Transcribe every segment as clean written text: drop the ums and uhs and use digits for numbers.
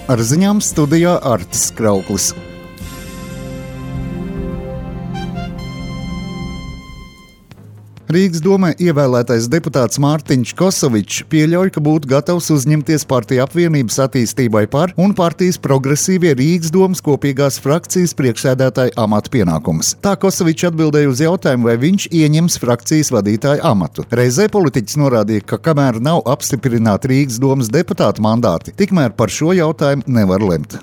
Ar ziņām studijā Artis Krauklis. Rīgas domē ievēlētais deputāts Mārtiņš Kosovičs pieļauj, ka būtu gatavs uzņemties partiju apvienības attīstībai par un partijas progresīvie Rīgas domas kopīgās frakcijas priekšsēdētāja amata pienākumus. Tā Kosovičs atbildēja uz jautājumu, vai viņš ieņems frakcijas vadītāja amatu. Reizē politiķis norādīja, ka kamēr nav apstiprināti Rīgas domas deputātu mandāti, tikmēr par šo jautājumu nevar lemt.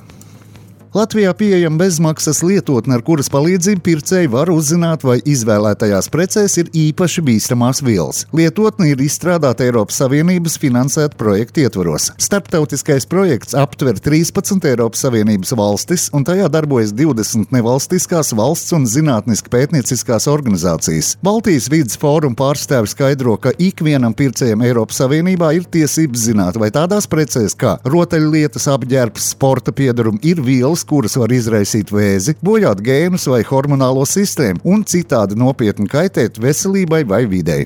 Latvijā pieejama bezmaksas lietotne, ar kuras palīdzību pircēji var uzzināt, vai izvēlētajās precēs ir īpaši bīstamās vielas. Lietotne ir izstrādāta Eiropas Savienības finansēta projekta ietvaros. Starptautiskais projekts aptver 13 Eiropas Savienības valstis, un tajā darbojas 20 nevalstiskās valsts un zinātniski pētnieciskās organizācijas. Baltijas vides fóruma pārstāvi skaidro, ka ikvienam pircējam Eiropas Savienībā ir tiesības zināt, vai tādās precēs kā rotaļlietas, apģērbs, sporta piedarumi ir vielas, kuras var izraisīt vēzi, bojāt gēnus vai hormonālo sistēmu un citādi nopietni kaitēt veselībai vai videi.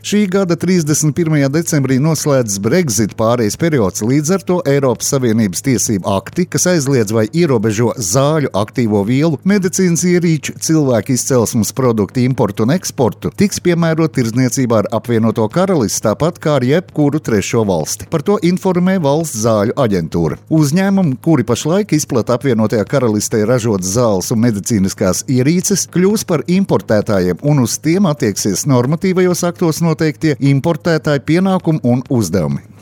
Šī gada 31. decembrī noslēdzas Brexit pārejas periods, līdz ar to Eiropas Savienības tiesību akti, kas aizliedz vai ierobežo zāļu, aktīvo vielu, medicīnas ierīču, cilvēku izcelsmes produktu importu un eksportu, tiks piemērot tirdzniecībā ar apvienoto karalisti, tāpat kā ar jebkuru trešo valsti. Par to informē Valsts zāļu aģentūra. Uzņēmumi, kuri pašlaik izplata apvienotajā karalistē ražotas zāles un medicīniskās ierīces, kļūs par importētājiem un uz tiem attieksies normatīvajos aktos noteiktie importētāju pienākumi un uzdevumi.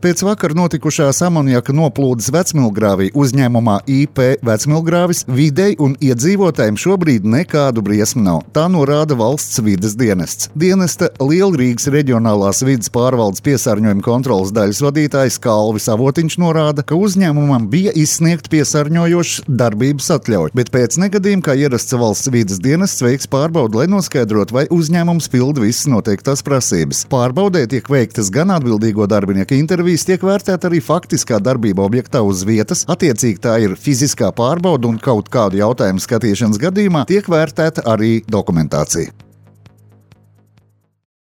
Pēc vakar notikušās amoniaka noplūdes Vecmilgrāvī uzņēmumā IP Vecmilgrāvis videi un iedzīvotājiem šobrīd nekādu briesmu nav. Tā norāda valsts vides dienests. Dienesta Lielrīgas reģionālās vides pārvaldes piesārņojuma kontrolas daļas vadītājs Kalvis Avotiņš norāda, ka uzņēmumam bija izsniegt piesārņojošas darbības atļauju, bet pēc negadījuma, kā ierasts valsts vides dienests, veiks pārbaudi, lai noskaidrotu, vai uzņēmums pilda visas noteiktās prasības. Pārbaudē tiek veiktas gan atbildīgo darbinieku intervijas, tiek vērtēta arī faktiskā darbība objektā uz vietas, attiecīgi tā ir fiziskā pārbauda un kaut kādu jautājumu skatīšanas gadījumā tiek vērtēta arī dokumentācija.